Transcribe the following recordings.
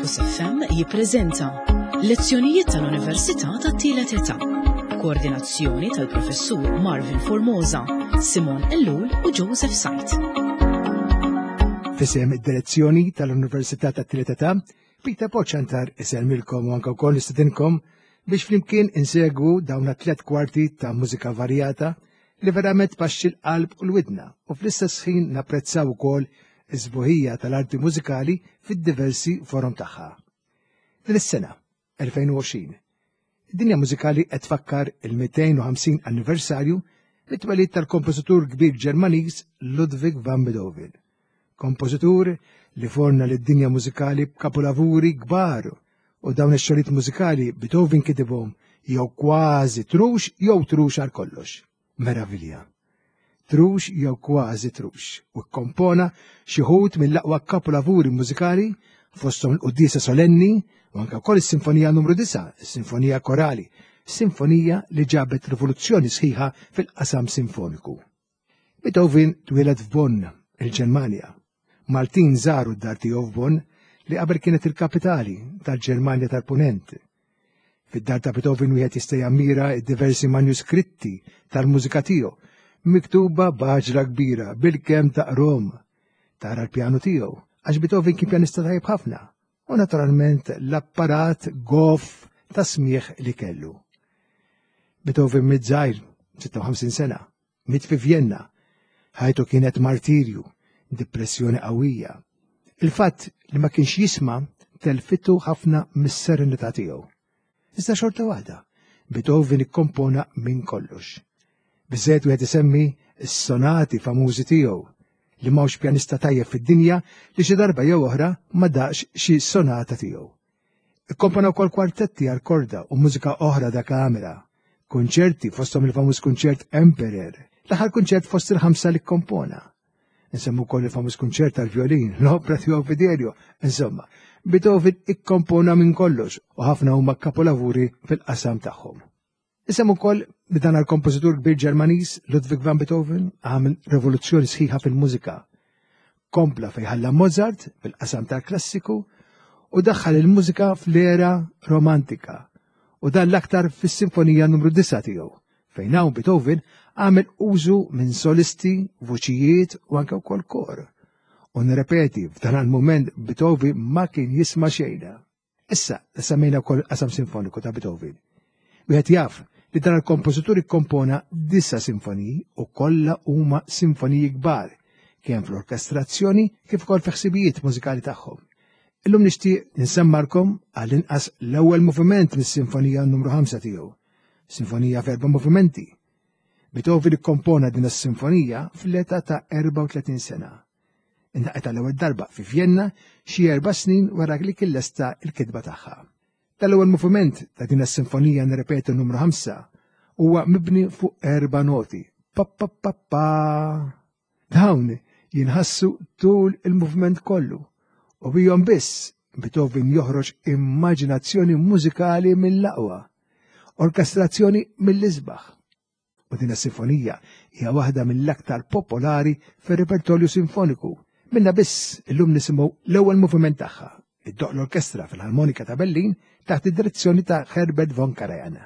Campus FM jippreżenta Lezzjonijiet tal-Università tat-Tielet Età. Koordinazzjoni tal-Professur Marvin Formosa, Simon Ellul u Joseph Sajt. Fisem id-direzzjoni tal-Università tat-Tielet Età, Peter Poċantar isellmilkom u anke wkoll nistedinkom biex flimkien insegwu dawn tliet kwarti ta' mużika varjata li verament tpaxxi l-qalb u l-widna u fl-istess ħin napprezzaw ukoll is-sbuħija tal-arti mużikali fid-diversi forom tagħha. Din is-sena, 2020, id-dinja mużikali qed tfakkar il-250 anniversarju mit-twelid tal-kompożitur kbir Ġermaniż Ludwig van Beethoven. Kompożitur li forna lid-dinja mużikali b'kapolavuri kbar u dawn ix-xogħlijiet mużikali Beethoven kitibhom jew kważi trux jew trux għal kollox. Meravilja. Trux jew kważi trux u kkompona xi wħud mill-aqwa kapolavuri mużikali fosthom il-Quddiesa Solenni u anke wkoll is-Sinfonija numru 9, is-Sinfonija Korali, sinfonija li ġabet rivoluzzjoni sħiħa fil-qasam sinfoniku. Beethoven twieled f'Bonn, il-Ġermanja. Maltin żaru d-dar tiegħu f'Bonn li qabel kienet il-kapitali tal-Ġermanja tal-Punent. Fid-dar ta' Beethoven wieħed jista' jammira d-diversi manuskritti tal-mużika tiegħu miktuba b'għaġla kbira bilkemm taqrom. Tara l-pjanu tiegħu għax Beethoven kien pjanista tajjeb ħafna u naturalment l-apparat goff ta' smigħ li kellu. Beethoven miet żgħir, 56 sena, miet fi Vjenna. Ħajtu kienet martirju, depressjoni qawwija. Il-fatt li ma kienx jisma' telfitu ħafna mis-serenità tiegħu. Iżda xorta waħda, Beethoven ikkompona minn kollox. Biżżejjed wieħed isemmi s-sonati famużi tiegħu li m'hawnx pjanista tajjeb fid-dinja li xi darba jew oħra ma daqx xi sonata tiegħu. Ikkompona wkoll kwartetti għal korda u mużika oħra da kamera, kunċerti fosthom il-famuż kunċert Emperor, l-aħħar kunċert fost il-ħamsa li kkompona. Nsemmu wkoll il-famuż kunċert tal-violin, l-opra tiegħu Fidelio, insomma, Beethoven ikkompona minn kollox u ħafna huma kapolavuri fil-qasam tagħhom. Isem ukoll li dan għal-kompożitur kbir Ġermaniż Ludwig van Beethoven għamel revoluzzjoni sħiħa fil-mużika. Kompla fejn ħalla Mozart fil-qasam tal-klassiku u daħħal il-mużika fl-era romantika u dan l-aktar fis-sinfonija numru 9 tiegħu fejn hawn Beethoven għamel użu minn solisti, vuċijiet u anke wkoll kor. U nirrepeti, f'dan il-mument Beethoven ma kien jisma' xejn. Issa, semmejna wkoll qasam sinfoniku ta' Beethoven. Wieħed jaf li dan il-kompożitur ikkompona disa sinfoniji u kollha huma sinfoniji kbar, kemm fl-orkestrazzjoni kif ukoll fi ħsibijiet mużikali tagħhom. Illum nixtieq nsemmarkom għall-inqas l-ewwel moviment mis-sinfonija numru 5 tiegħu, sinfonija f'erba' movimenti. Beethoven ikkompona din is-sinfonija fl-età ta' 34 sena. Indaqet għall-ewwel darba fi Vjenna xi erba' snin wara li kien lesta l-kitba tagħha. Tal-ewwel moviment ta' din is-sinfonija nirrepetu numru 5 huwa mibni fuq erba' noti. Pa pa pa pa. Dawn jinħassu tul il-moviment kollu u bihom biss Beethoven joħroġ immaġinazzjoni mużikali mill-aqwa, orkestrazzjoni mill-isbaħ. U din is-sinfonija hija waħda mill-aktar popolari fir-repertorju sinfoniku. Minna biss illum nisimgħu l-ewwel moviment tagħha, iddoqq l-orkestra fil-Armonika ta' Berlin taħt id-direzzjoni ta' Herbert von Karajan.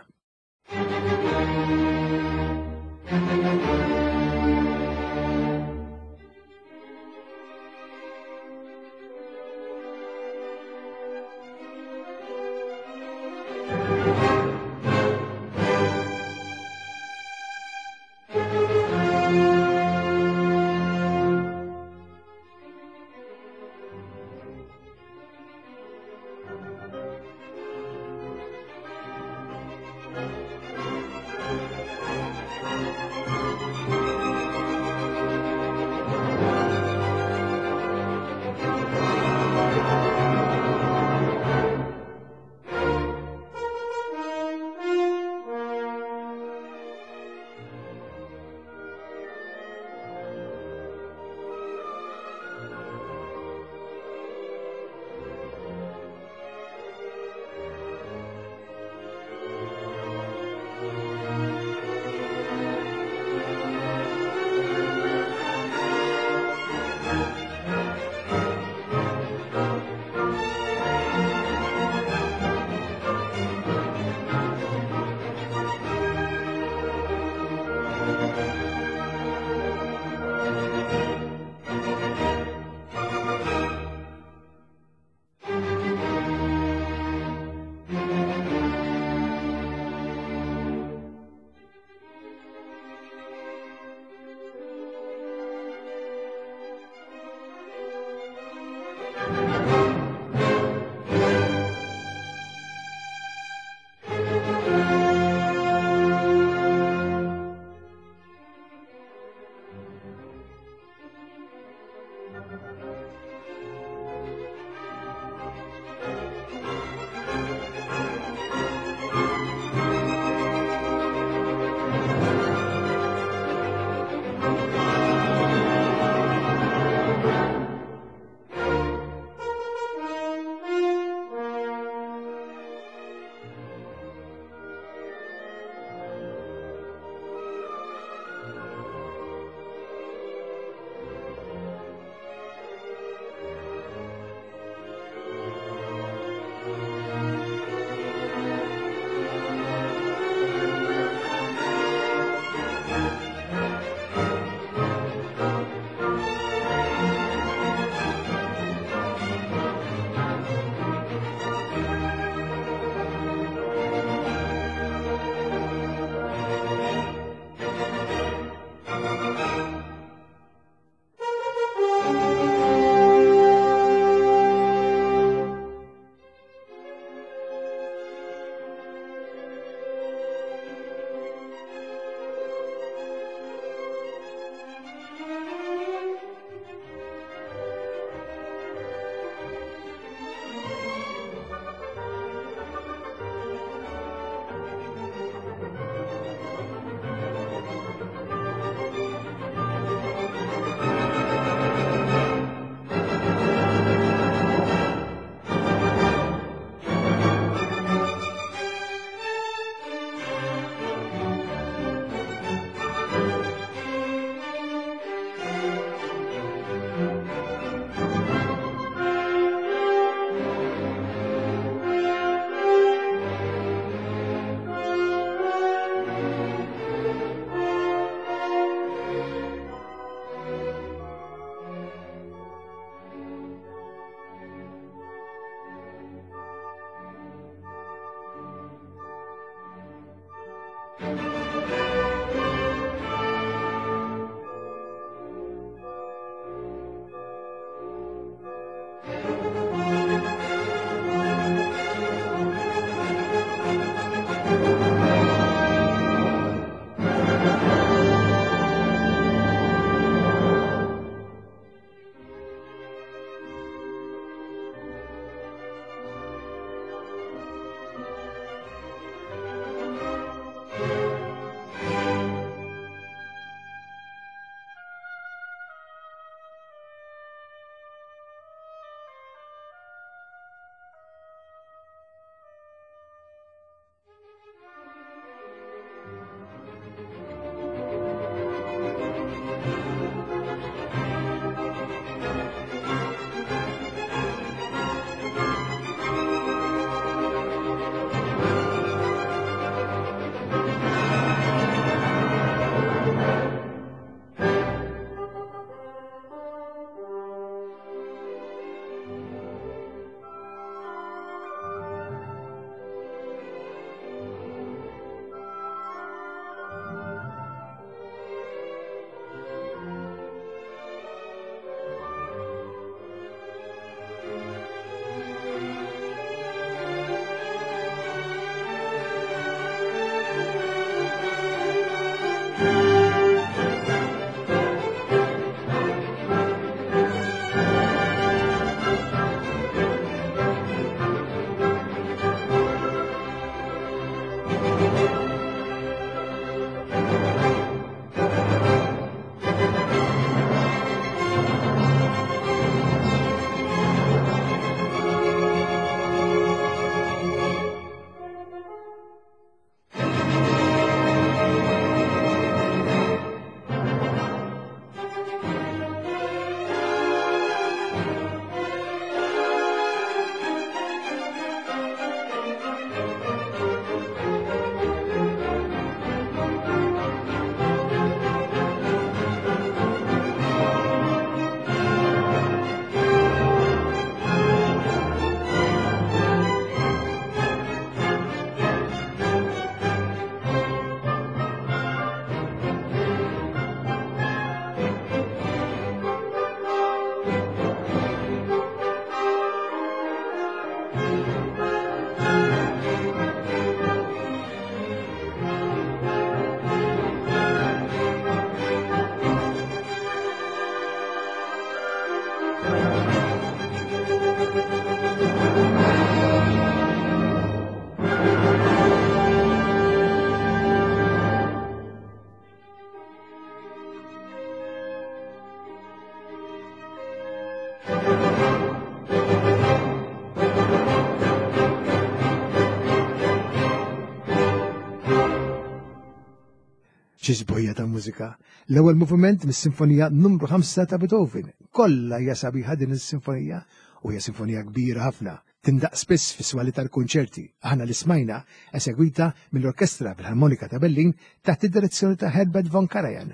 Xi sbuħija ta' mużika. L-ewwel moviment mis-Sinfonija numru 5 ta' Beethoven. Kollha hija sabiħa din is-sinfonija u hija sinfonija kbira ħafna. Tindaq spiss fis-swali tal-kunċerti. Aħna li smajna esegwita mill-Orkestra Filharmonika ta' Berlin taħt id-direzzjoni ta' Herbert von Karajan.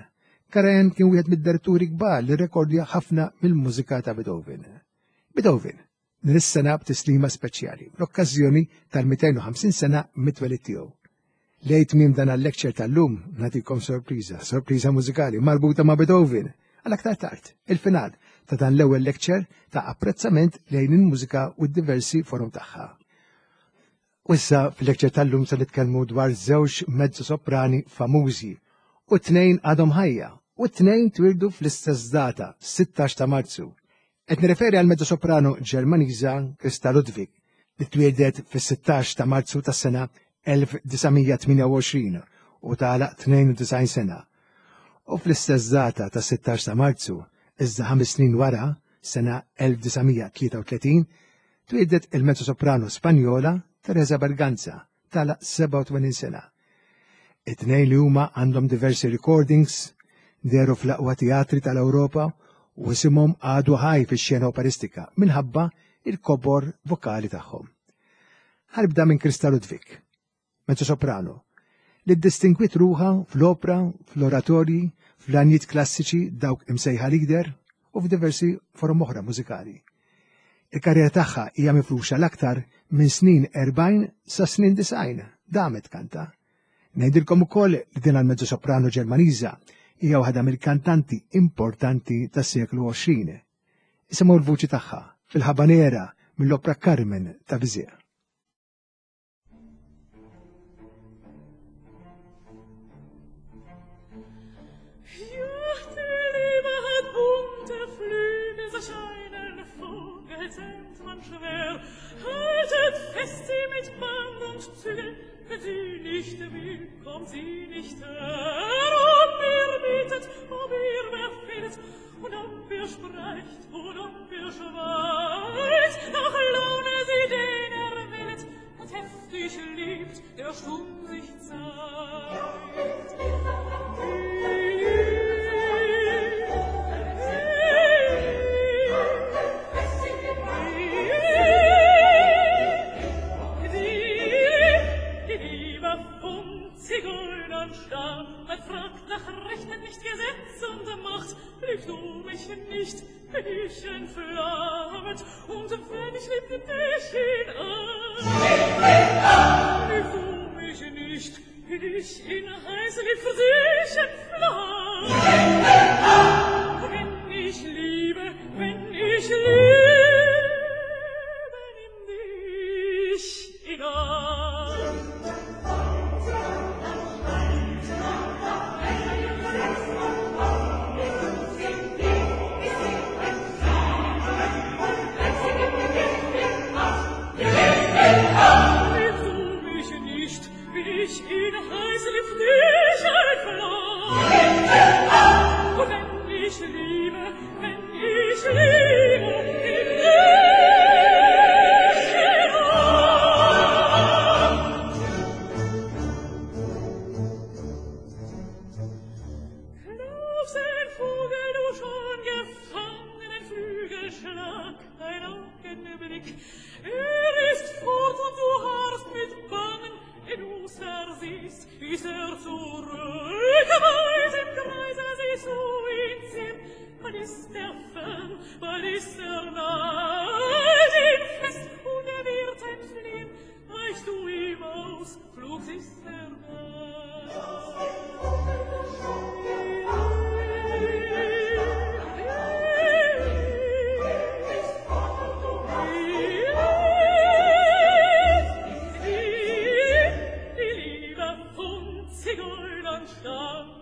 Karajan kien wieħed mid-diretturi kbar li rrekordja ħafna mill-mużika ta' Beethoven. Beethoven, din is-sena b'tislima speċjali fl-okkażjoni tal-250 sena mit-twelid tiegħu. Lejn tmiem dan għal-lecture tal-lum nagħtikom sorpriża, sorpriża mużikali marbuta ma' Beethoven. Għal aktar tard, il-final ta' dan l-ewwel lecture ta' apprezzament lejn il-mużika u d-diversi forom tagħha. U issa fil-lecture tal-lum se nitkellmu dwar żewġ mezzo-soprani famużi u t-tnejn għadhom ħajja u t-tnejn twildu fl-istess data, 16 ta' Marzu. Qed nirreferi għal mezzo-soprano Ġermaniża Christa Ludwig li twieldet fis-16 ta' Marzu tas-sena 1928 u tagħlaq 92 sena. U fl-istess data tas-16 ta' Marzu, iżda ħames snin wara, sena 1933, twieldet il-mezzo-soprano Spanjola Teresa Berganza tagħlaq 87 sena. It-tnejn li huma għandhom diversi recordings, dehru fl-aqwa teatri tal-Ewropa u isimhom għadu ħaj fix-xena operistika minħabba il-kobor vokali tagħhom. Ħarbda minn Krista Ludwig, mezzo soprano, li ddistingwit ruħha fl-opra, fl-oratorji, fl-għanjiet klassiċi dawk imsejħa lieder u f'diversi forom oħra mużikali. Il-karriera tagħha hija mifruxa l-aktar minn snin 40 sa snin 90, damet kanta. Ngħidilkom ukoll li din għal-mezzo soprano Ġermaniża hija waħda mill-kantanti importanti tas-seklu 20. Isimgħu l-vuċi tagħha fil-Habanera mill-opra Carmen ta' Bizet. Sie nicht will, kommt sie nicht her. Ob ihr bietet, ob ihr befehlet, und ob ihr sprecht, und ob ihr schweigt, nach Laune sie den erwählet, und heftig liebt, der stumm sich zeigt. Man fragt nach Rechten nicht Gesetz und Macht, liebst du mich nicht, bin ich entflammt, und wenn ich lieb, dich in Acht. Liebst du mich nicht, bin ich in heiß, lieb für dich entflammt. Wenn ich liebe, wenn ich liebe, nimm dich in Acht. Ich in heiß lieb dich entflammt. Wenn ich liebe, wenn ich liebe, nimm dich in Acht. Glaubst den Vogel du schon gefangen, ein Flügelschlag, ein Augenblick. Er ist fort und du harrst mit Bangen, du versiehst, ist er zurück, weit im Kreise siehst du ihn ziehen. Bald ist er fern, bald ist er nah, ihn fest und er wird entfliehen. Weichst du ihm aus, flugs ist er da.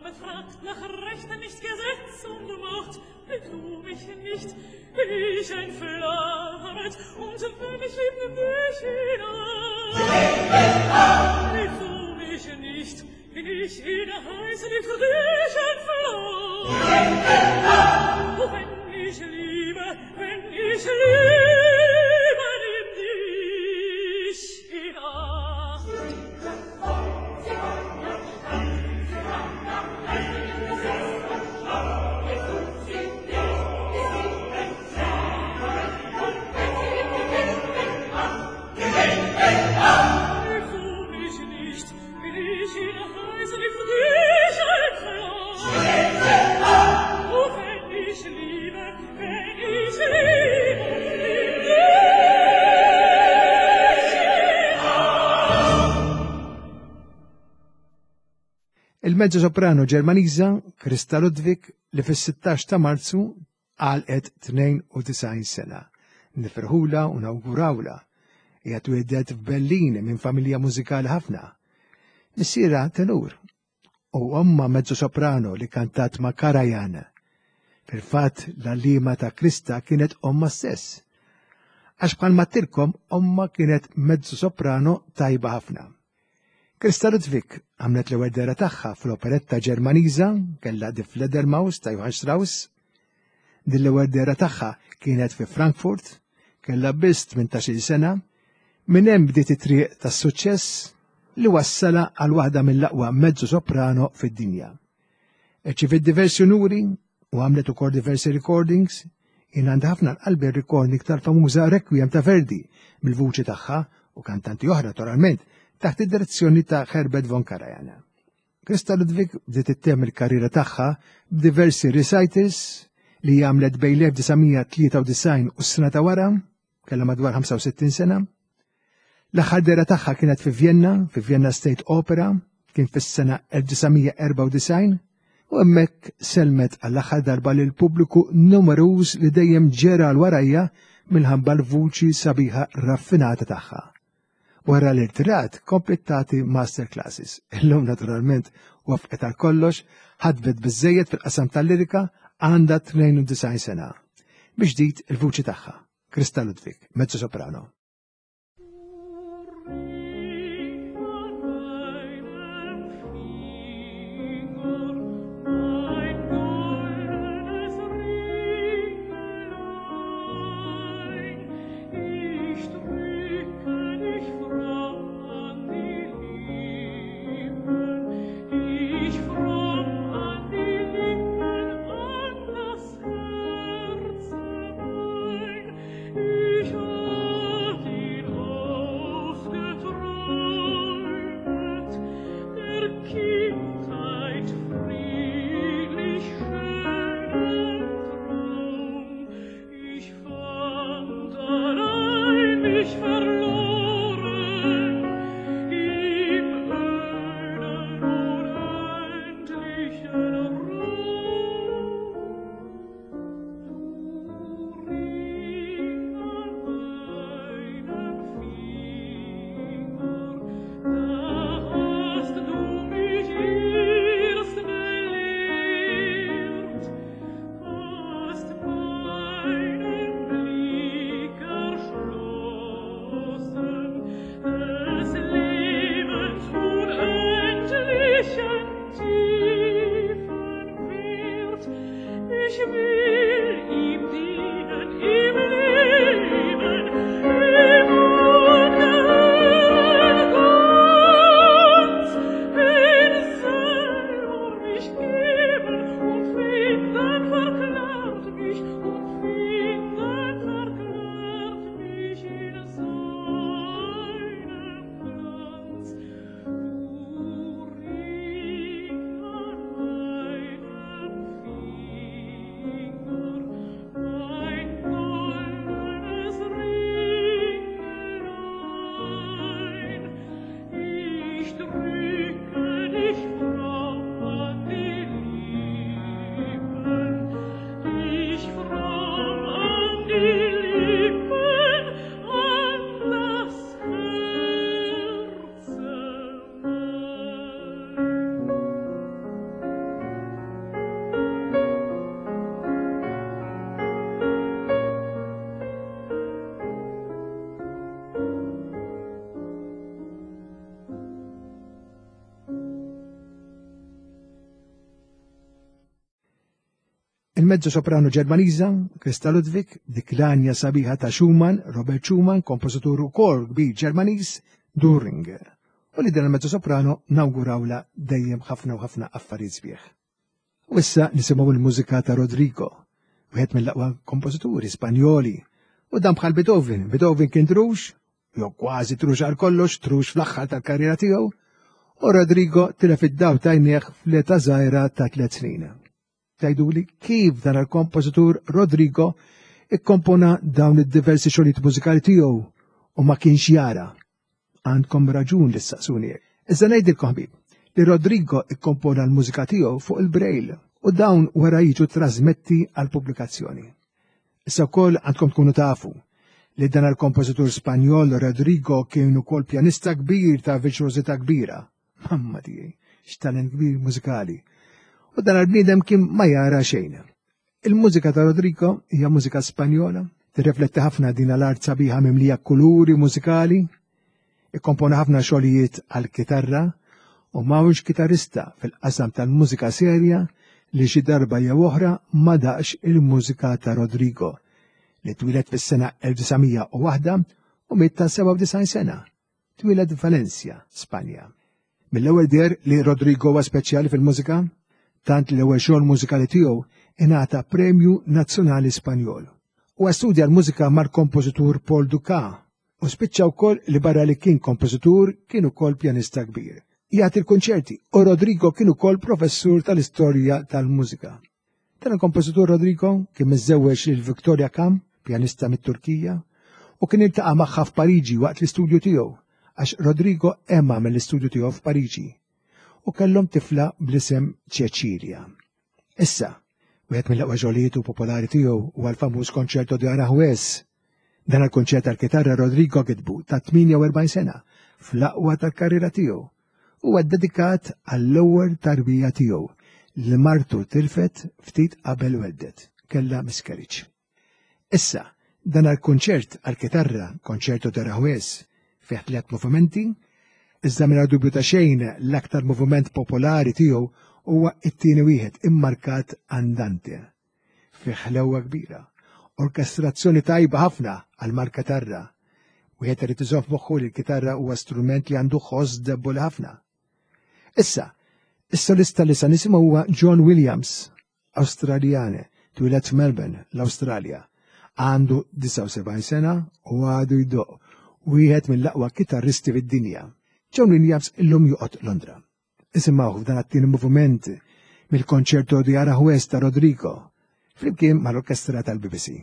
Man fragt nach Rechten nicht Gesetz und Macht, liebst du mich nicht, bin ich entflammt, und wenn ich lieb, nimm dich in Acht. Liebst du mich nicht, bin ich in heiß, lieb für dich entflammt. Oh, wenn ich liebe, wenn ich liebe, nimm dich in Acht. Il-mezzo soprano Ġermaniża Krista Ludwig li fis-16 ta' Marzu għalqet 92 sena. Nifirħula u nawgurawla. Hija twieldet f'Berlin minn familja mużikali ħafna. Missierha tenur u omma mezzo soprano li kantat ma' Karajan. Fil-fatt l-għalliema ta' Krista kienet omma stess. Għax bħalma tilkom omma kienet mezzo soprano tajba ħafna. Krista Ludwig għamlet l-ewwel dehra tagħha fl-operetta Ġermaniża kellha Die Fledermaus ta' Johann Strauss. Din l-ewwel dehra tagħha kienet fi Frankfurt, kellha biss 18-il sena, minn hemm bdiet it-triq tas-suċċess li wassala għal waħda mill-aqwa mezzo soprano fid-dinja. Irċiviet diversi unuri u għamlet ukoll diversi recordings. Jien għandi ħafna l-qalbi recording tal-famuża Requiem ta' Verdi mill-vuċi tagħha u kantanti oħra naturalment taħt id-direzzjoni ta' Herbert von Karajan. Krista Ludwig bdiet ittemm il-karriera tagħha b'diversi recitals li għamlet bejn l-1993 u s-sena ta' wara, kellha madwar 65 sena. L-aħħar dehra tagħha kienet fi Vienna, fi Vienna State Opera, kien fis-sena 1994, u hemmhekk selmet għall-aħħar darba lil pubbliku numeruż li dejjem ġera għal warajja minħabba l-vuċi sabiħa raffinata tagħha. Wara l-irtirat kompliet tagħti master classes. Illum naturalment wafqet għal kollox, ħadbet biżejjed fil-qasam tal-lirika, għandha 92 sena. Biex ġdid il-vuċi tagħha. Krista Ludwig, mezzo soprano. Il-mezzo soprano Ġermaniża, Krista Ludwig, dik l-anja sabiħa ta' Schumann, Robert Schumann, kompożitur ukoll kbir Ġermaniż, During. U li din il-mezzo soprano nawgurawla dejjem ħafna u ħafna affarijiet sbieħ. U issa nisimgħu l-mużika ta' Rodrigo, wieħed mill-aqwa kompożituri Spanjoli. U dan bħal Beethoven, Beethoven kien trux, jew kważi trux għal kollox, trux fl-aħħar tal-karriera tiegħu, u Rodrigo tilef id-daw tajnieh fl-età żgħira ta' tliet snin. Tgħiduli kif dan il-kompożitur Rodrigo ikkompona dawn id-diversi xogħlijiet mużikali tiegħu u ma kienx jara. Għandkom raġun li ssaqsuni. Iżda ngħidilkom ħbib, li Rodrigo ikkompona l-mużika tiegħu fuq il-Braille u dawn wara jiġu trasmetti għal pubblikazzjoni. Issa wkoll għandkom tkunu tafu li dan il-kompożitur Spanjol Rodrigo kien ukoll pjanista kbir ta' virtuożità kbira. Mamma tiegħi, x'talent kbir mużikali. U dan il-bniedem kien ma jara xejn. Il-mużika ta' Rodrigo hija mużika Spanjola, tirrifletti ħafna din l-art sabiħa mimlija kuluri mużikali, ikkompona ħafna xogħlijiet għal kitarra u m'hawnx kitarrista fil-qasam tal-mużika serja li xi darba jew oħra ma daqx il-mużika ta' Rodrigo li twieled fis-sena 1901 u miet ta' 97 sena. Twieled Valencia, Spanja. Mill-ewwel deher li Rodrigo huwa speċjali fil-mużika, tant li l-ewwel xogħol mużikali tiegħu ingħata Premju Nazzjonali Spanjol. Huwa studja l-mużika mal-kompożitur Paul Dukas u spiċċa wkoll li barra li kien kompożitur kien ukoll pjanista kbir. Jagħti l-kunċerti u Rodrigo kien ukoll professur tal-istorja tal-mużika. Dan il-kompożitur Rodrigo kien miżżewweġ lil Victoria Kam, pjanista mit-Turkija, u kien iltaqa' magħha f'Pariġi waqt l-istudju tiegħu għax Rodrigo ema mill-istudju tiegħu f'Pariġi u kellhom tifla bl-isem Cecilia. Issa, wieħed mill-aqwa xogħlijiet u popolari tiegħu huwa l-famuż Concerto de Aranjuez. Dan il-kunċert tal-kitarra Rodrigo kitbu ta' 48 sena fl-aqwa tal-karriera tiegħu. Huwa ddedikat għall-ewwel tarbija tiegħu li martu tilfet ftit qabel weldet, kellha miscarriage. Issa, dan għall-kunċert għall-kitarra, Concerto de Aranjuez, fih tliet movimenti, iżda mingħajr dubju ta' xejn l-aktar moviment popolari tiegħu huwa t-tieni wieħed immarkat Andante. Fih ħlewwa kbira, orkestrazzjoni tajba ħafna għal mal-kitarra. Wieħed irid iżomm f'moħħu li l-kitarra huwa strument li għandu ħoss debboli ħafna. Issa, is-solista li sa nisimgħu huwa John Williams, Awstraljane, twieled f'Melbourne, l-Awstralja. Għandu 79 sena u għadu jdoqq, wieħed mill-aqwa kitarristi fid-dinja. John Williams illum joqgħod Londra. Isimgħuh f'dan it-tieni moviment mill-Concerto di Aranjuez ta' Rodrigo, flimkien mal-Orkestra tal-BBC.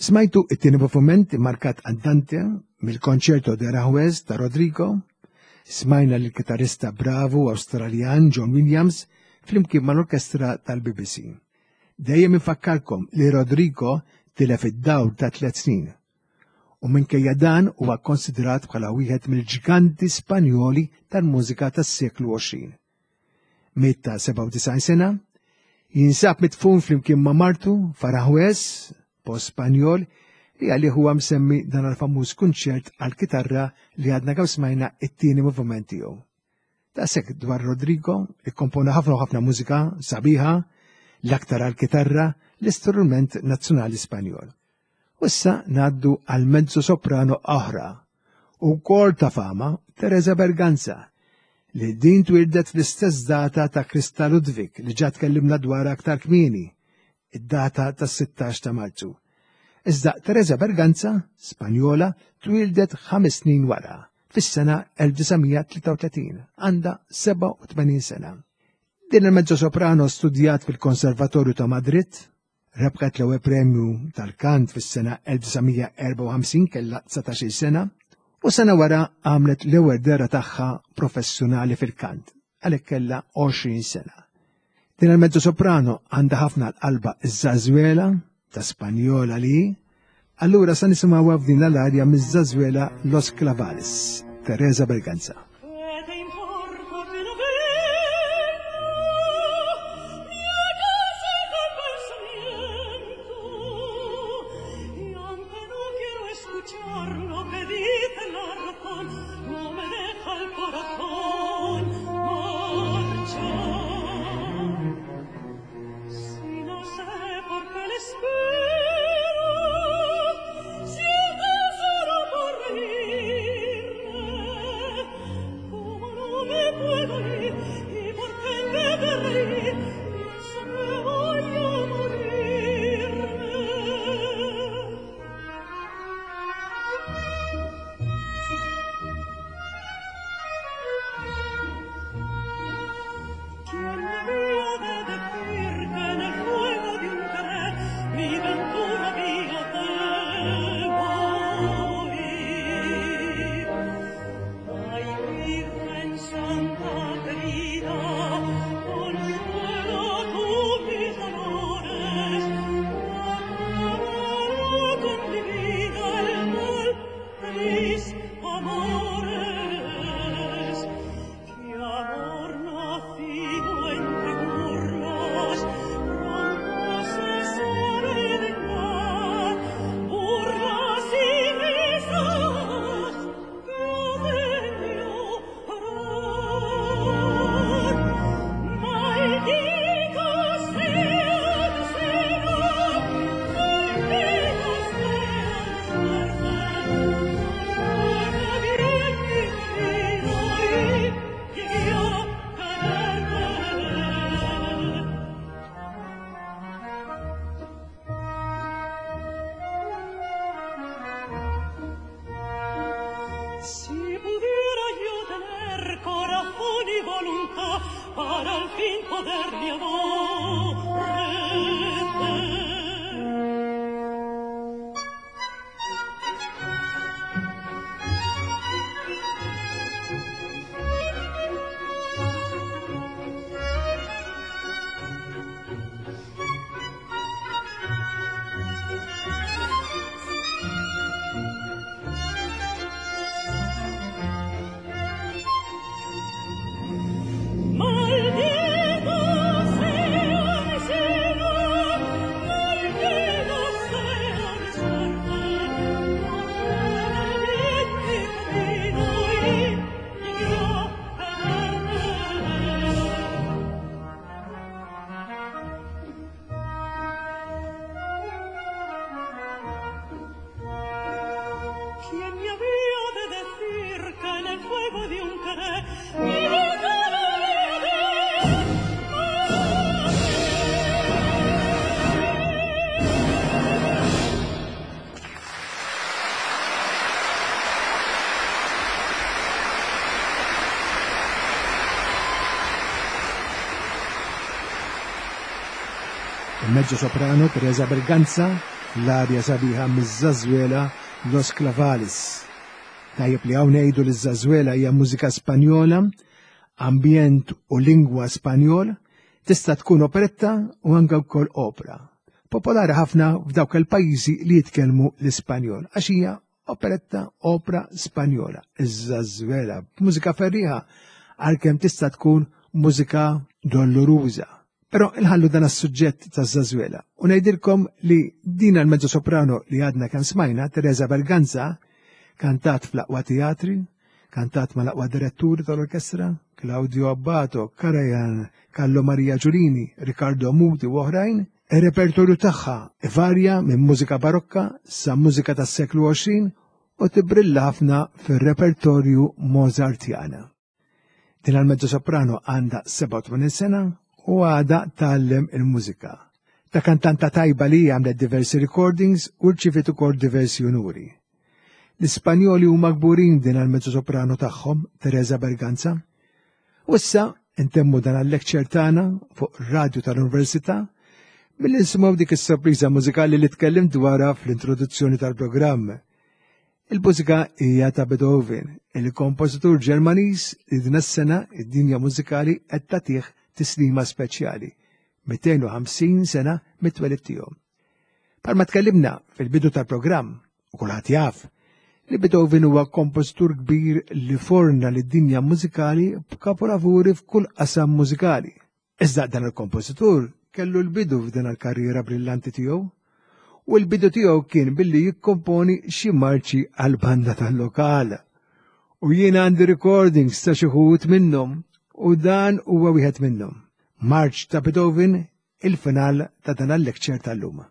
Smajtu it-tieni moviment immarkat Andante mill-Concerto de Aranjuez ta' Rodrigo, smajna lill-kitarrista bravu Awstraljan John Williams flimkien mal-orkestra tal-BBC. Dejjem infakkarkom li Rodrigo tilef id-dawl ta' tliet snin u minkejja dan huwa kkonsidrat bħala wieħed mill-ġganti Spanjoli tal-mużika tas-seklu 20. Miet ta' 97 sena, jinsab midfun flimkien ma' martu f'Aranjuez, post Spanjol, li għalih huwa msemmi dan l-famuż kunċert għall-kitarra li għadna kemm smajna it-tieni moviment tiegħu. Daqshekk dwar Rodrigo, ikkompona ħafna u ħafna mużika sabiħa, l-aktar għall-kitarra, l-istrument nazzjonali Spanjol. U issa ngħaddu għal mezzo soprano oħra u wkoll ta' fama, Teresa Berganza, li din twildet fl-istess data ta' Krista Ludwig li ġa tkellimna dwar aktar kmieni, id-data tas-16 ta' Marzu. Iżda Teresa Berganza, Spanjola, twildet ħames snin wara, fis-sena 1933, għandha 87 sena. Din il-mezzo soprano studjat fil-Konservatorju ta' Madrid, Rebħet l-ewwel premju tal-kant fis-sena 1954 kellha 19-il sena u sena wara għamlet l-ewwel dehra tagħha professjonali fil-kant għalhekk kellha 20 sena. Din il-mezzo soprano għandha ħafna l-qalba iż-żażwela ta' Spanjola li allura sa nisimgħuha f'din l-arja miż-żażwela Los Clavales, Teresa Berganza. Il-mezzo soprano Teresa Berganza fl-arja sabiħa miż-Żażwela Los Clavales. Tajjeb li hawn ngħidu li ż-Żażwela hija mużika Spanjola, ambjent u lingwa Spanjol, tista' tkun operetta u anke wkoll opra. Popolari ħafna f'dawk il-pajjiżi li jitkellmu l-Ispanjol għax hija operetta opra Spanjola, iż-żażwela, mużika ferriħa għalkemm tista' tkun mużika dolloruża. Però inħallu dan is-suġġett taż-żażwela u ngħidilkom li din l-mezzo soprano li għadna kemm smajna, Teresa Berganza, kantat fl-aqwa teatri, kantat mal-aqwa diretturi tal-orkestra, Claudio Abbato, Karajan, Carlo Maria Giulini, Riccardo Muti u oħrajn, Ir-repertorju tagħha ivarja minn mużika barokka sa mużika tas-seklu 20 u tibrilla ħafna fir-repertorju Mozartjana. Din għal-mezzo soprano għandha 87 sena u għadha tgħallem il-mużika. Ta' kantanta tajba li għamlet diversi recordings u rċiviet ukoll diversi unuri. L-Ispanjoli huma kburin din għal-mezzo soprano tagħhom, Teresa Berganza. U issa intemmu dan għal-lecture tagħna fuq radju tal-Università billi nisimgħu dik is-sorpriża mużikali li tkellim dwarha fl-introduzzjoni tal-programm. Il-mużika hija ta' Beethoven, il-kompożitur Ġermaniż li din is-sena id-dinja mużikali qed tagħtih tislima speċjali, 250 sena mit-twelid tiegħu. Palma tkellimna fil-bidu tal-programm, u kulħadd jaf, li Beethoven huwa kompożitur kbir li forna lid-dinja mużikali b'kapolavuri f'kull qasam mużikali. Iżda dan il-kompożitur kellu l-bidu f'din il-karriera brillanti tiegħu u l-bidu tiegħu kien billi jikkomponi xi marċi għal banda tal-lokal. U jiena għandi recordings ta' xi wħud minnhom u dan huwa wieħed minnhom. Marċ ta' Beethoven, il-final ta' dan il-lecture tal-lum.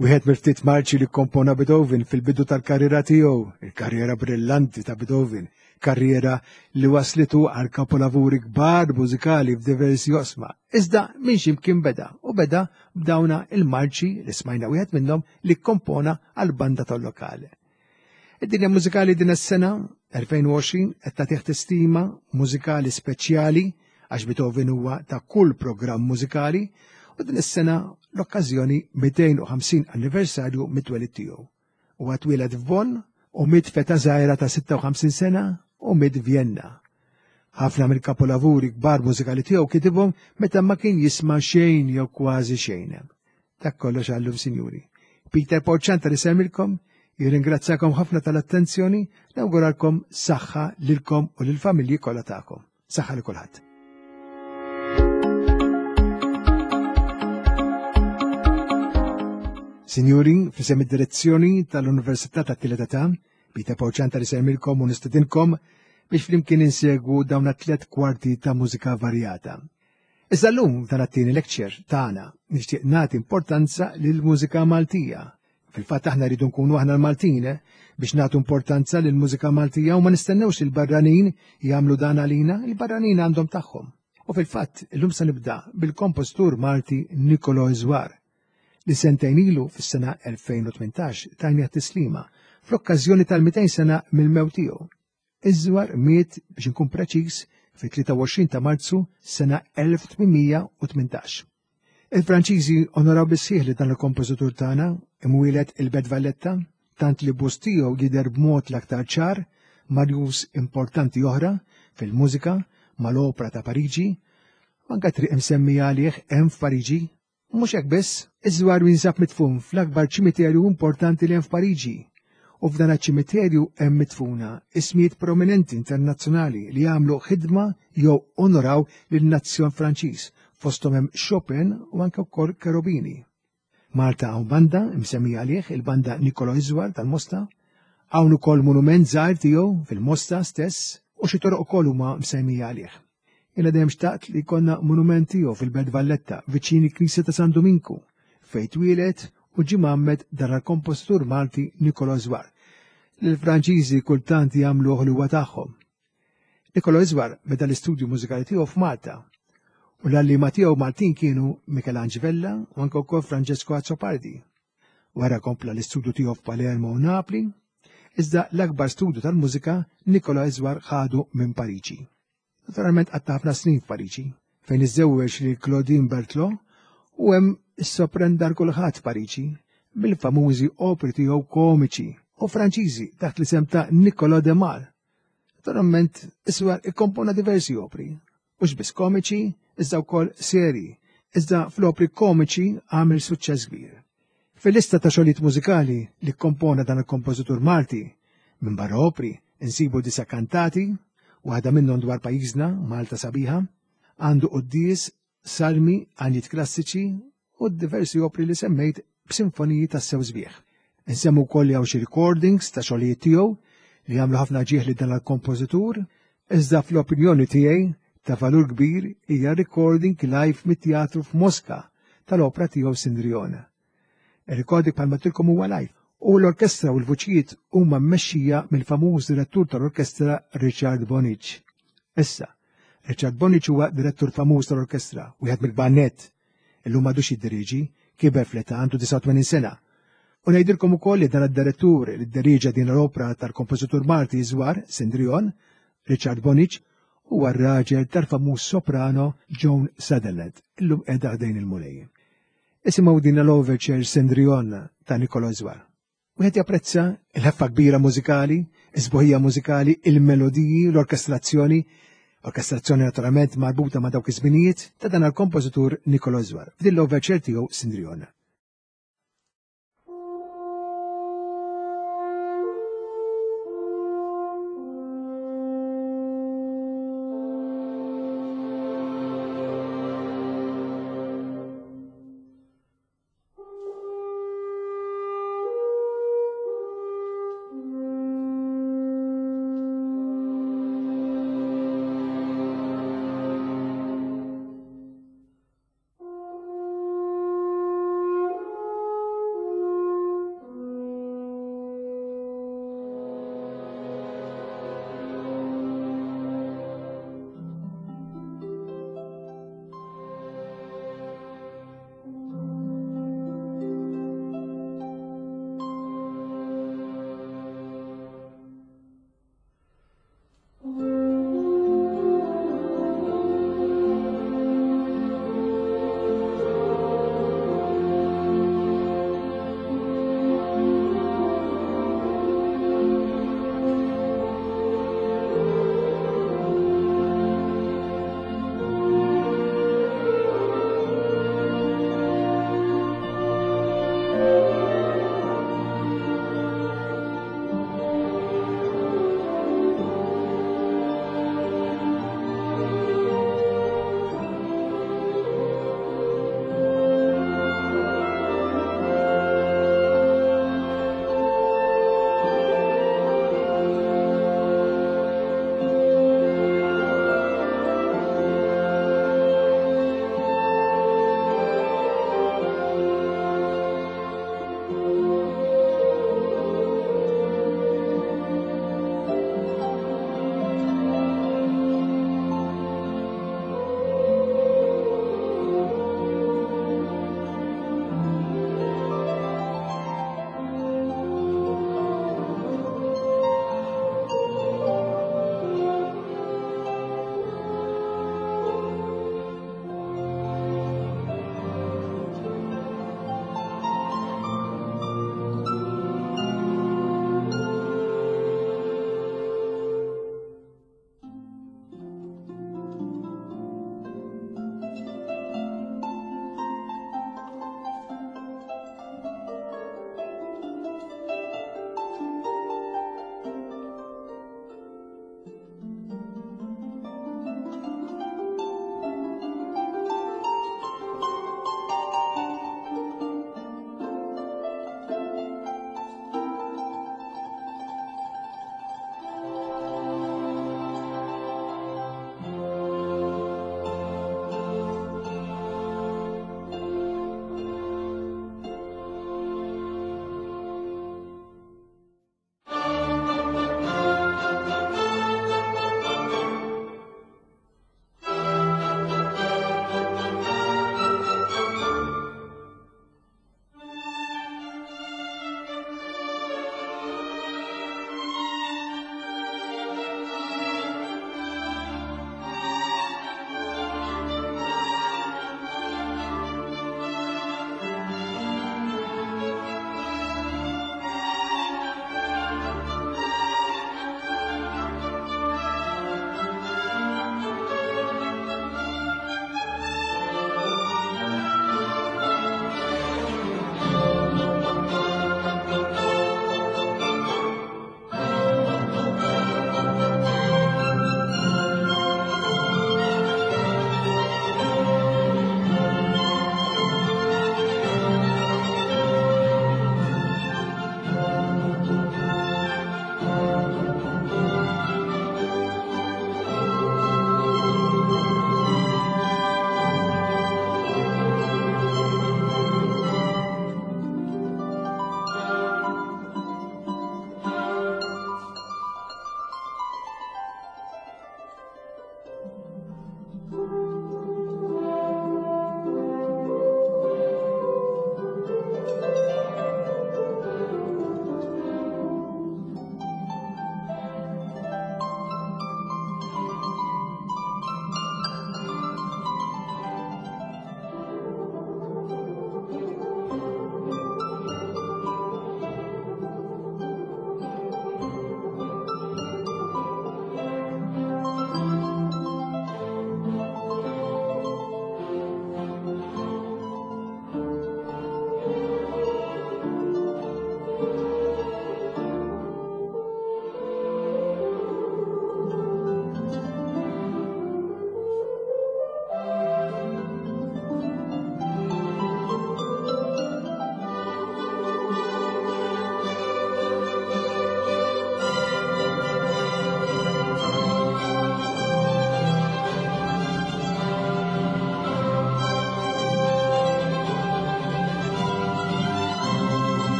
Wieħed mill-ftit marċi li kompona Beethoven fil-bidu tal-karriera tiegħu, il-karriera brillanti ta' Beethoven, karriera li waslitu għal kapolavuri kbar mużikali f'diversi osma. Iżda minn ximkien beda u beda b'dawna il-marċi li smajna wieħed minnhom li kompona għal banda tal-lokali. Id-dinja mużikali din is-sena 2020 qed tagħtih tistima mużikali speċjali għax Beethoven huwa ta' kull programm mużikali U din is-sena l-okkażjoni 250 anniversarju mit-twelid tiegħu. Huwa twieled f'Bonn u miet f'età żgħira ta' 56 sena u miet Vjenna. Ħafna mill-kapolavuri kbar mużikali tiegħu kitibhom meta ma kien jisma' xejn jew kważi xejn. Dak kollox għallum, sinjuri. Peter Paul Ciantar isemmilkom, jirringrazzakom ħafna tal-attenzjoni, nawguralkom saħħa lilkom u lill-familji kollha tagħkom. Saħħa li kulħadd. Sinjuri, fisem id-direzzjoni tal-Università ta' Tielet Età, Peter Paul Ciantar isemmilkom u nistedinkom biex flimkien insegwu dawn tliet kwarti ta' mużika varjata. Iżda llum f'dan it-tieni lecture tagħna nixtieq nagħti importanza lill-mużika Maltija. Fil-fatt aħna rridu nkunu aħna l-Maltin eh, biex nagħtu importanza lill-mużika Maltija u ma nistennewx il-barranin jagħmlu dan għalina, il-barranin għandhom tagħhom. U fil-fatt illum se nibda bil-kompożitur Malti Nicolo Iżwar li sentejn ilu fis-sena 2018 tajni tislima fl-okkażjoni tal-200 sena mill-mewt tiegħu. Iżwar miet biex inkun preċiż fit-23 ta' Marzu sena 1818. Il-Franċiżi onoraw bis-sħiħ li dan il-kompożitur tagħna imwieled il-Belt Valletta, tant li bust tiegħu jidher b'mod l-aktar ċar marjus importanti oħra fil-mużika mal-Opra ta' Pariġi, u anke triq imsemmija għalih hemm f'Pariġi. Mhux hekk biss, iż-żwar jinsab midfun fl-akbar ċimiterju importanti li hemm f'Pariġi. U f'dan iċ-ċimiterju hemm midfuna ismijiet prominenti internazzjonali li għamlu ħidma jew onoraw lin-nazzjon Franċiż, fosthom hemm Chopin u anke wkoll Cherubini. Malta hawn banda msemmija għalih, il-banda Niccolò Iżwar tal-Mosta. Hawn ukoll monument żgħir tiegħu fil-Mosta stess u xi toroq ukoll huma msemmija għalih. Jiena dejjem xtaqt li jkollna monument tiegħu fil-Belt Valletta, viċin il-Knisja ta' San Duminku, fejn twieled u ġie mgħammed dan il-kompożitur Malti Nicolò Żwar, li l-Franċiżi kultant jagħmluh li huwa tagħhom. Nicolò Iżwar beda l-istudju mużikali tiegħu f'Malta u l-għalliema tiegħu Maltin kienu Michelangelo Vella u anke wkoll Francesco Azzopardi. Wara kompla l-istudju tiegħu f'Palermo u Napli, iżda l-akbar studju tal-mużika Nicolò Iżwar ħadu minn Pariġi. Naturalment qatta' ħafna snin f'Pariġi, fejn iżżewweġ lil Claudine Berthelot u hemm issoprenda l kulħadd f'Pariġi bil-famużi opri tiegħu komiċi u Franċiżi taħt l-isem ta' Nicolò de Mal. Naturalment Iswar ikkompona diversi opri, mhux biss komiċi, iżda wkoll serji, iżda fl-opri komiċi għamel suċċess kbir. Fil-lista ta' xogħlijiet mużikali li kkompona dan il-kompożitur Malti, minbarra opri, insibu disa' kantati, waħda minnhom dwar pajjiżna, Malta Sabiħa, għandu quddies, salmi, għanjiet klassiċi u diversi opri li semmejt b'sinfoniji tassew sbieħ. Insemmu wkoll li hawn xi recordings ta' xogħlijiet tiegħu li jagħmlu ħafna ġieħ li dan il-kompożitur, iżda fl-opinjoni tiegħi ta' valur kbir hija recording live mit-teatru f'Moska tal-opra tiegħu Sindriona. Ir-recording bħalma tilkom huwa live u l-orkestra u l-vuċijiet huma mmexxija mill-famuż direttur tal-orkestra Richard Bonic. Issa, Richard Bonic huwa direttur famuż tal-orkestra, wieħed mill-kbar Illum m'għadux jiddiriġi, kiber fl-età għandu 89 sena. U ngħidilkom ukoll li dan id-direttur li dderiġa din l-opra tal-kompożitur Malti Żwar, Sindrion, Richard Bonic, huwa r-raġel tal-famuż soprano Joan Sutherland, illum qiegħda ħdejn il-Mulej. Isimgħu din l-overture Sindrion ta' Nicolo Żwar. Wieħed japprezza il-ħeffa kbira mużikali, is-sbuħija mużikali, il-melodiji, l-orkestrazzjoni, orkestrazzjoni naturalment marbuta ma' dawk iż-żminijiet ta' dan il-kompożitur Nicolo Żwar f'din l-overture tiegħu Sindriona.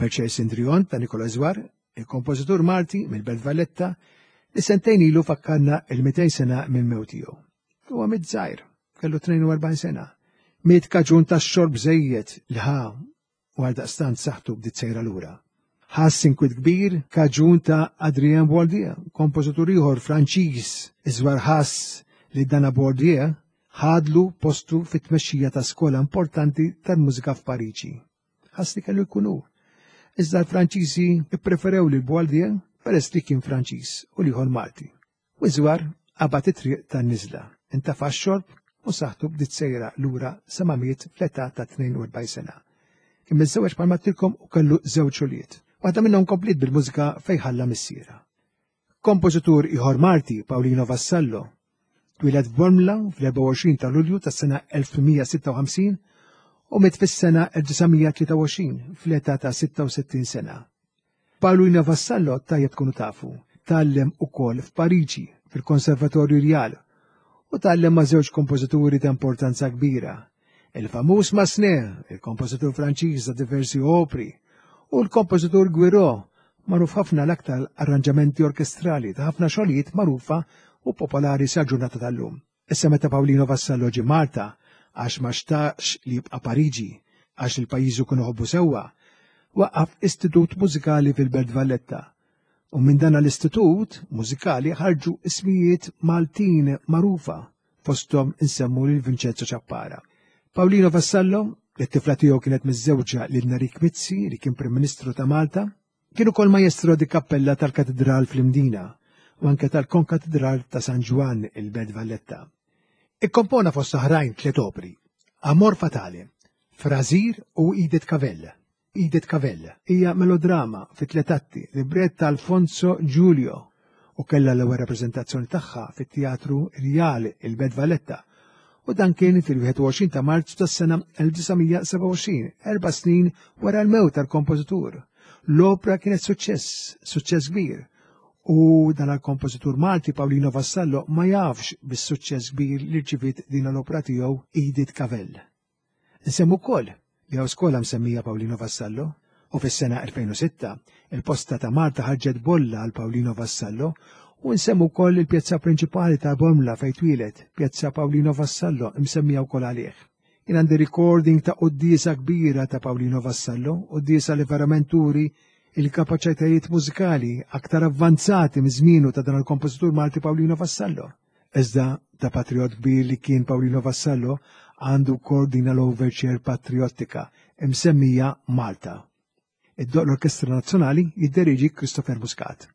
L-Overture Sindrion ta' Nikola Zwar, il-kompożitur Malti mill-Belt Valletta, li sentejn ilu fakkarna il-200 sena minn mewt tiegħu. Huwa miet żgħir, kellu 42 sena. Miet kaġun ta' xorb żejjed li ħa u għaldaqstant saħħtu bdiet sejra lura. Ħass inkwiet kbir kaġun ta' Adrien Bourdieu, kompożitur ieħor Franċiż, iżwar ħass li dana Bourdieu ħadlu postu fit-tmexxija ta' skola importanti tal-mużika f'Pariġi. Ħass li kellu jkun hu. Iżda l-Franċiżi ppreferew lil Bourdieu peress li kien Franċiż u l-ieħor Malti. U Iżwar qabad it-triq tan-niżla, intafa' x-xorb u saħħtu bdiet sejra lura sa ma miet fl-età ta' 42 sena. Kien miżżewweġ bħalma għedtilkom u kellu żewġ ulied. Waħda minnhom kompliet bil-mużika fejn ħalla missierha. Kompożitur ieħor Malti, Paolino Vassallo, twieled f'Bormla fl-24 ta' Lulju tas-sena 1856 u miet fis-sena 1923 fl-età ta' 66 sena. Paolino Vassallo tajjeb tkunu tafu, tgħallem ukoll f'Pariġi fil-Konservatorju Rjal u tgħallem ma' żewġ kompożituri ta' importanza kbira, il-famuż Massenet, il-kompożitur Franċiż ta' diversi opri, u l-kompożitur Guiraud, magħruf ħafna l-aktar arranġamenti orkestrali ta' ħafna xogħlijiet magħrufa u popolari sal-ġurnata tal-lum. Issa meta Paolino Vassallo ġie Malta għax ma xtaqx li jibqa' Pariġi għax lil pajjiżu kien iħobbu sewwa, waqqaf istitut mużikali fil-Belt Valletta. U minn dan l-istitut mużikali ħarġu ismijiet Maltin magħrufa, fosthom insemmu lil Vincenzo Ciappara. Paolino Vassallo, li t-tifla tiegħu kienet miżżewġa lil Nerik Mizzi li kien Prim Ministru ta' Malta, Kien ukoll majestro di cappella tal-Katidral fl-Imdina u anke tal-Konkatidral ta' San Ġwann il-Belt Valletta. Ikkompona fost oħrajn tliet opri, Amor Fatale, Frazir u Edith Cavell. Edith Cavell hija melodrama fi tliet atti, librett ta' Alfonso Giulio u kellha l-ewwel rappreżentazzjoni tagħha fit-Teatru Rjal il-Belt Valletta u dan kien fil-21 ta' Marzu tas-sena 1927, erba' snin wara l-mewt tal-kompożitur. L-opra kienet suċċess, suċċess kbir, u dan għal-kompożitur Malti Paolino Vassallo ma jafx bis-suċċess kbir li rċiviet din l-opra tiegħu Edith Cavell. Nsemmu wkoll li hawn skola msemmija Paolino Vassallo u fis-sena 2006 il-Posta ta' Malta ħarġet bolla għal Paolino Vassallo u nsemmu wkoll il-pjazza prinċipali ta' Bormla fejn twieled, Pjazza Paolino Vassallo msemmija wkoll għalih. Jien għandi recording ta' quddiesa kbira ta' Paolino Vassallo, quddiesa li verament turi il-kapaċitajiet mużikali aktar avvanzati miż-żmienu ta' dan il-kompożitur Malti Paolino Vassallo. Iżda ta' patriot kbir li kien Paolino Vassallo għandu wkoll din l-overture patriottika imsemmija Malta. Iddoqq l-Orkestra Nazzjonali jidderieġi Christopher Muscat.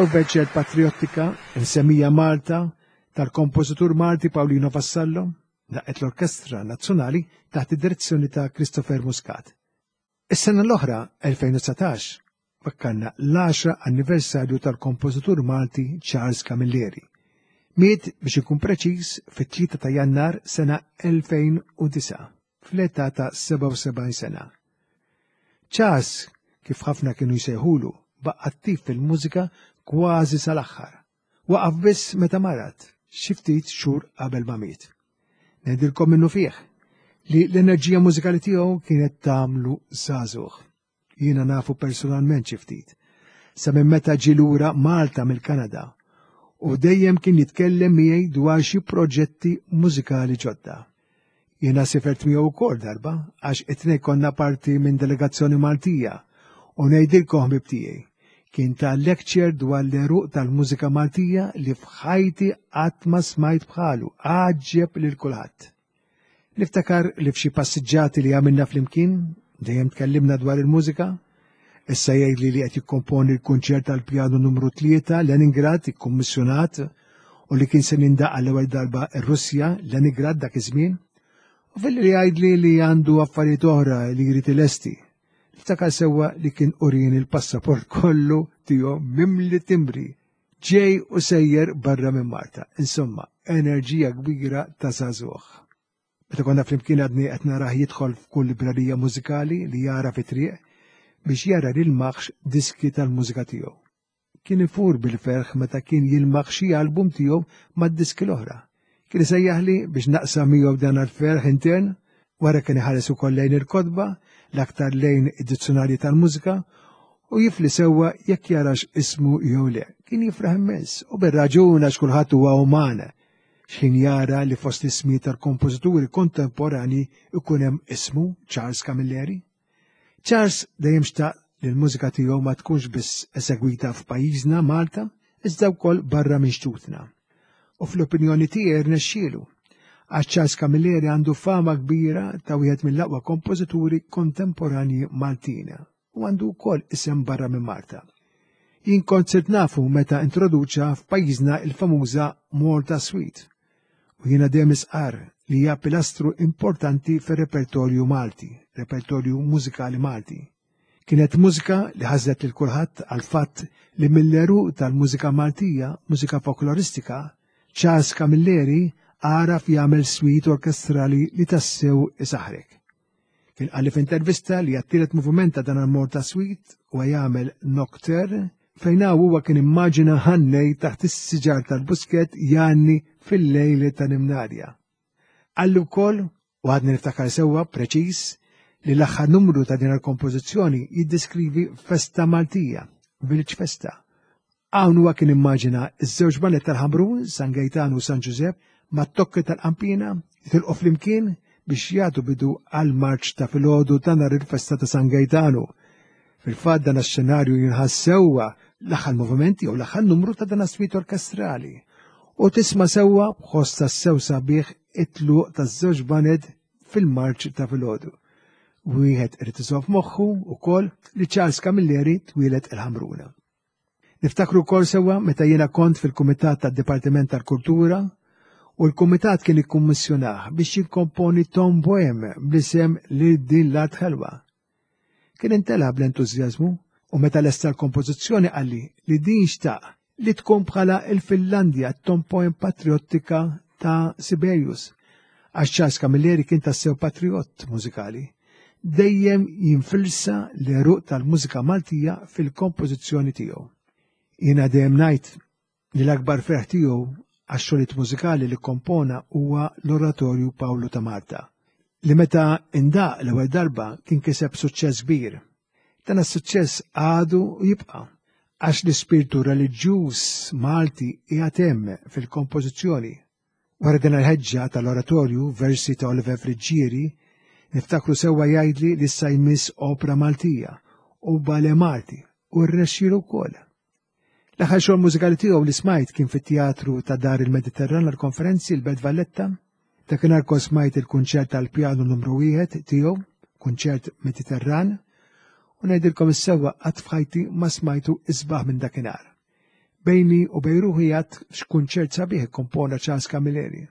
L-Overture Patriottika, insemmija Malta, tal-kompożitur Malti Paolino Vassallo, daqqet l-Orkestra Nazzjonali taħt id-direzzjoni ta' Christopher Muscat. Is-sena l-oħra, 2019, fakkarna l-10 anniversarju tal-kompożitur Malti Charles Camilleri. Miet biex ikun preċiż fit-3 ta' Jannar sena 2009, fl-età ta' 77 sena. Charles, kif ħafna kienu jsejħulu, baqa' attiv fil-mużika kważi sal-aħħar. Waqaf biss meta marad, xi ftit xhur qabel ma miet. Ngħidilkom minnu fih li l-enerġija mużikali tiegħu kienet tagħmlu żagħżugħ. Jiena nafu personalment xi ftit. Sa minn meta ġie lura Malta mill-Kanada u dejjem kien jitkellem miegħi dwar xi proġetti mużikali ġodda. Jiena sifert miegħu wkoll darba għax it-tnejn konna parti minn delegazzjoni Maltija u ngħidilkom ħbieb tiegħi, kien ta lecture dwar l-għeruq tal-mużika Maltija li f'ħajti qatt ma smajt bħalu, għaġġeb lil kulħadd. Niftakar li f'xi passiġġati li għamilna flimkien, dejjem tkellimna dwar il-mużika, issa jgħidli li qed jikkomponi l-kunċert tal-pjanu numru 3 Leningrad ikkummissjonat u li kien se nindaq għall-ewwel darba r-Russja, Leningrad dak iż-żmien, u filli li jgħidli li għandu affarijiet oħra li jrid ilesti. Niftakar sewwa li kien urini l-passaport kollu tiegħu mimli timbri, ġej u sejjer barra minn Malta. Insomma, enerġija kbira ta' żagħżugħ. Meta konna flimkien għadni qed narah jidħol f'kull librerija mużikali li jara fit-triq biex jara li l-maħx diski tal-mużika tiegħu. Kien ifur bil-ferħ meta kien jilmaħ xi album tiegħu mad-diski l-oħra. Kien isejjaħli biex naqsam miegħu dan għall-ferħ intern, wara kien iħares ukoll lejn il-kotba, l-aktar lejn id-dizzjonarji tal-mużika, u jifli sewwa jekk jarax ismu jew le. Kien jifraħ immens, u bir-raġun għax kulħadd huwa uman. X'ħin jara li fost l-ismi tal-kompożituri kontemporani ikun hemm ismu Charles Camilleri. Charles dejjem xtaq li l-mużika tiegħu ma tkunx biss esegwita f'pajjiżna Malta, iżda wkoll barra minn xtutna. U fl-opinjoni tiegħi rnexxielu, għax Charles Camilleri għandu fama kbira ta' wieħed mill-aqwa kompożituri kontemporanji Maltin u għandu wkoll isem barra minn Malta. Jien kont sirt nafu meta introduċa f'pajjiżna il-famuża Malta Suite u jiena dejjem isqar li hija pilastru importanti fir-repertorju Malti, repertorju mużikali Malti. Kienet mużika li ħażlet lil kulħadd għal fatt li mill-għeruq tal-mużika Maltija, mużika folkloristika, Charles Camilleri għaraf jagħmel suite orkestrali li tassew isaħrek. Kien qalli f'intervista li għat-tielet moviment ta' dan il-Malta Suite huwa jagħmel Nocturne fejn hawn huwa kien immaġina ħannej taħt is-siġar tal-Buskett jgħanni fil-lejl ta' Nimnarja. Qalli wkoll, u għadni niftakar sewwa preċiż, li l-aħħar numru ta' din il-kompożizzjoni jiddeskrivi festa Maltija, Village Festa, Hawn huwa kien immaġina ż-żewġ baned tal-Ħamrun, San Gejtanu u San Ġużepp, mat-tokki tal-qanpiena, jitilqu flimkien biex jagħtu bidu għall-marċ ta' filgħodu ta' nhar il-festa ta' San Gejtanu. Fil-fatt dan x-xenarju jinħass sewwa l-aħħar moviment jew l-aħħar numru ta' dan is-suite orkestrali u tisma' sewwa b'ħoss tassew sabiħ it-tluq taż-żewġ baned fil-marċ ta' filgħodu. Wieħed irid iżomm f'moħħu wkoll li Charles Camilleri twieled il-Ħamruna. Niftakru wkoll sewwa meta jiena kont fil-Kumitat tad-Dipartiment tal-Kultura u l-Kumitat kien ikkummissjonah biex jikkomponi Tom Bohem bl-isem Lil din l-art ħelwa. Kien intela bl-entużjażmu u meta lesta l-kompożizzjoni qalli li din xtaq li tkun bħala il-Finlandja t-Tom Poem patriottika ta' Sibelius. Għax Charles Camilleri kien tassew patriot mużikali, dejjem jinfilsa l-għeruq tal-mużika Maltija fil-kompożizzjoni tiegħu. Jiena dejjem ngħid li l-akbar ferħ tiegħu għax-xogħlijiet mużikali li kompona huwa l-Oratorju Pawlu ta' Malta, li meta indaq l-ewwel darba kien kiseb suċċess kbir. Dan is-suċċess għadu u jibqa' għax l-ispirtu reliġjuż Malti qiegħed hemm fil-kompożizzjoni. Wara din il-ħeġġa tal-oratorju versi ta' Oliver Friggieri, niftakru sewwa jgħidli li issa jmiss opra Maltija u bale Malti u rnexxielu wkoll. L-aħħar xogħol mużikali tiegħu li smajt kien fit-teatru ta' Dar il-Mediterran għall-konferenzi l-Belt Valletta. Dakinhar kont smajt il-kunċert tal-pjanu numru wieħed tiegħu, kunċert Mediterran, u ngħidilkom is-sewwa qatt f'ħajti ma smajtu isbaħ minn dakinhar. Bejni u bejn ruħi għad x'kunċert sabiħ ikkompona Charles Camilleri.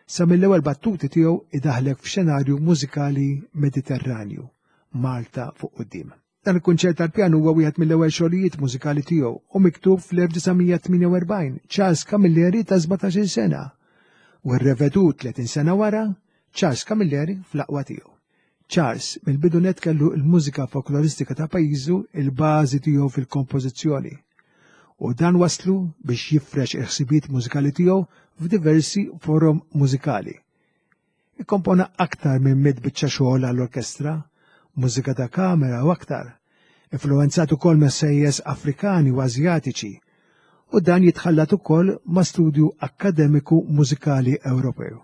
Sa mill-ewwel battuti tiegħu idaħlek f'xenarju mużikali Mediterranju, Malta fuq quddiem. Dan il-kunċert tal-pjanu huwa wieħed mill-ewwel xogħlijiet mużikali tiegħu u miktub fl-1948 Charles Camilleri ta' 17-il sena u rrevedut 30 sena wara Charles Camilleri fl-aqwa tiegħu. Charles mill-bidu nett kellu l-mużika folkloristika ta' pajjiżu il-bażi tiegħu fil-kompożizzjoni. U dan waslu biex jifrex il-ħsibijiet mużikali tiegħu f'diversi forom mużikali. Ikkompona aktar minn mitt biċċa xogħol għall-orkestra, mużika ta' kamera u aktar, influwenzat ukoll messejjes Afrikani u Asjatiċi, u dan jitħallat ukoll ma' studju akkademiku mużikali Ewropew.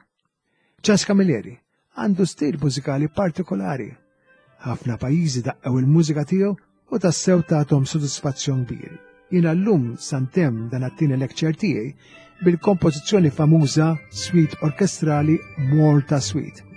Charles Camilleri għandu stil mużikali partikolari. Ħafna pajjiżi daqqew il-mużika tiegħu u tassew tagħthom sodisfazzjon kbir. Jiena llum santem dan għat-tieni lecture tiegħi bil-kompożizzjoni famuża Suite Orkestrali Malta Suite.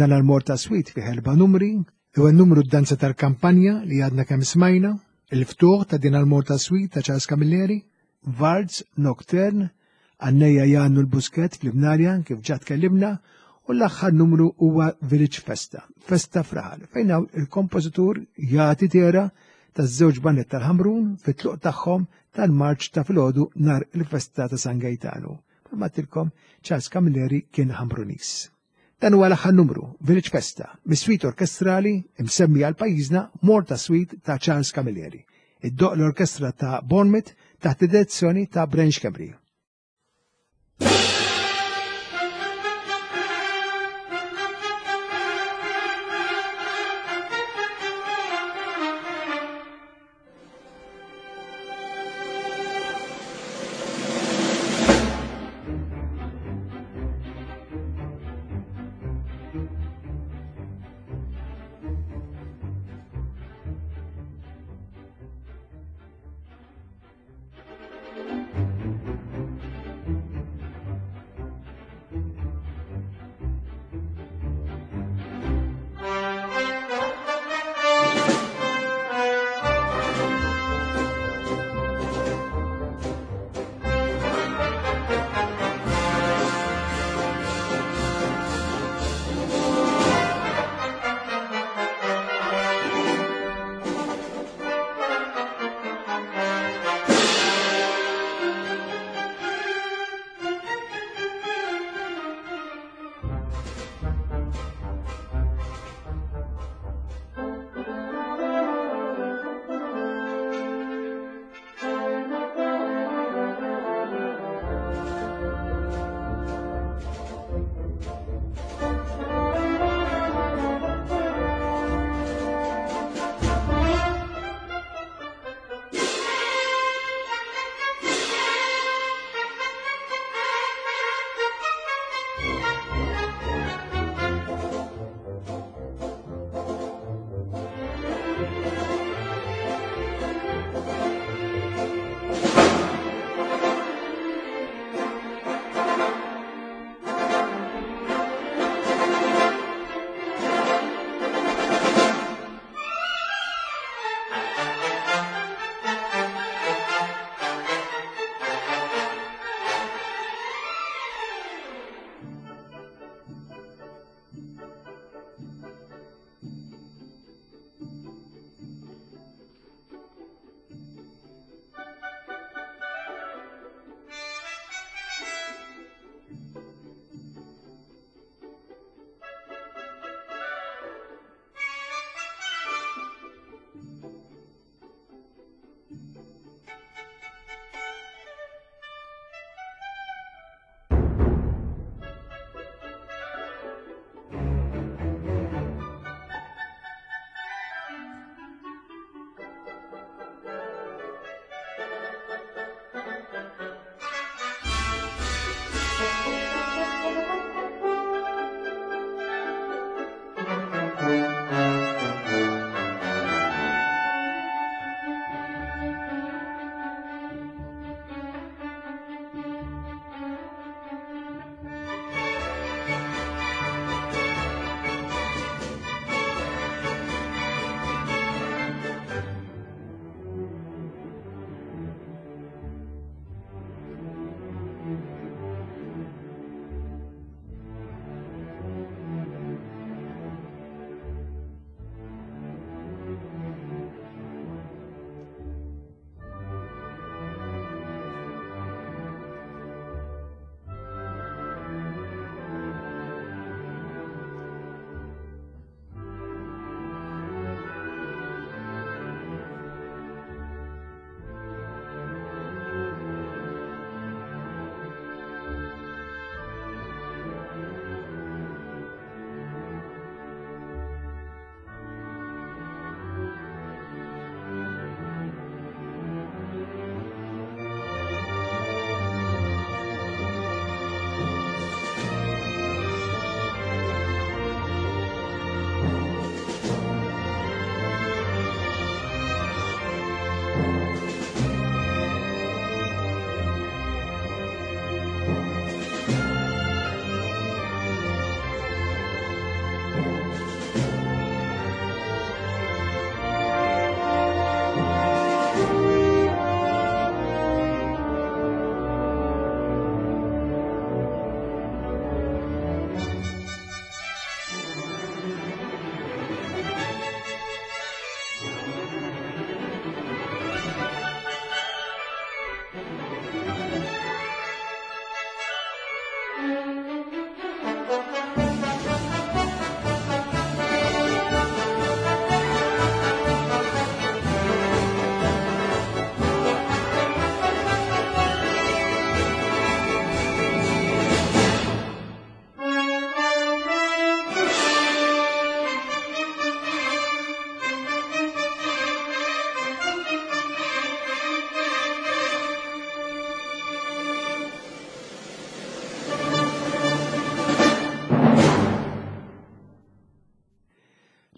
Dan għal-Morta Sweet fih erba' numri, l-ewwel numru d-danza tal-kampanja li għadna kemm smajna, Il-ftuħ ta' din għal-Morta Suite ta' Charles Camilleri, Vards Nocturne, għannejja jgħannu l-Buskett fl-Imnarja kif ġa tkellimna, u l-aħħar numru huwa Village Festa, Festa Fraħal, fejn hawn il-kompożitur jagħti tera taż-żewġ bandet tal-Ħamrun fit-tluq tagħhom tal-marċ ta' filgħodu nhar il-festa ta' San Gejtanu. Palma tilkom Charles Camilleri kien Ħamrunis. Dan huwa l-aħħar numru, Village Festa, mis-suite orkestrali imsemmi għal pajjiżna Morta Suite ta' Charles Camilleri. Iddoq l-orkestra ta' Bournemouth taħt id-direzzjoni ta' Branch Kemri.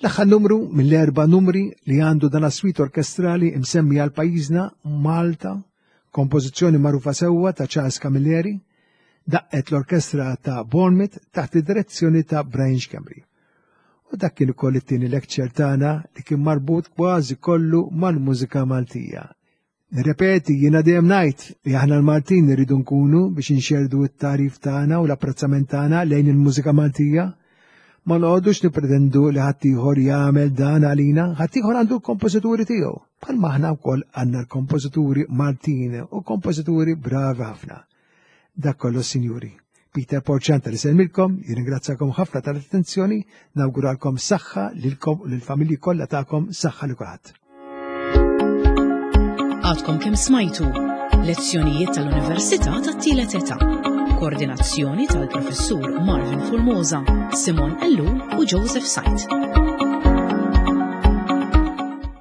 L-aħħar numru mill-erba' numri li għandu dan suite orkestrali imsemmi għal pajjiżna Malta, kompożizzjoni magħrufa sewwa ta' Charles Camilleri, daqqet l-orkestra ta' Bournemouth taħt id-direzzjoni ta' Brian Schembri. U dak kien ukoll it-tieni lecture tagħna li kien marbut kważi kollu mal-mużika Maltija. Nirrepeti, jiena dejjem ngħid li aħna l-Maltin irridu nkunu biex inxerdu t-tagħrif tagħna u l-apprezzament tagħna lejn il-mużika Maltija. Ma noqogħdux nippretendu li ħaddieħor jagħmel dan għalina, ħaddieħor għandu l-kompożituri tiegħu. Bħalma aħna wkoll għandna l-kompożituri Maltin u kompożituri bravi ħafna. Dak kollox, sinjuri. Peter Porċanta li selmilkom, jirringrazzakom ħafna tal-attenzjoni, nawguralkom saħħa lilkom u lill-familji kollha tagħkom saħħa li kulħadd. Għadkom kemm smajtu lezzjonijiet tal-Università tat-Tielet Età. Koordinazzjoni tal-Professur Marvin Formosa, Simon Ellul u Joseph Sajt.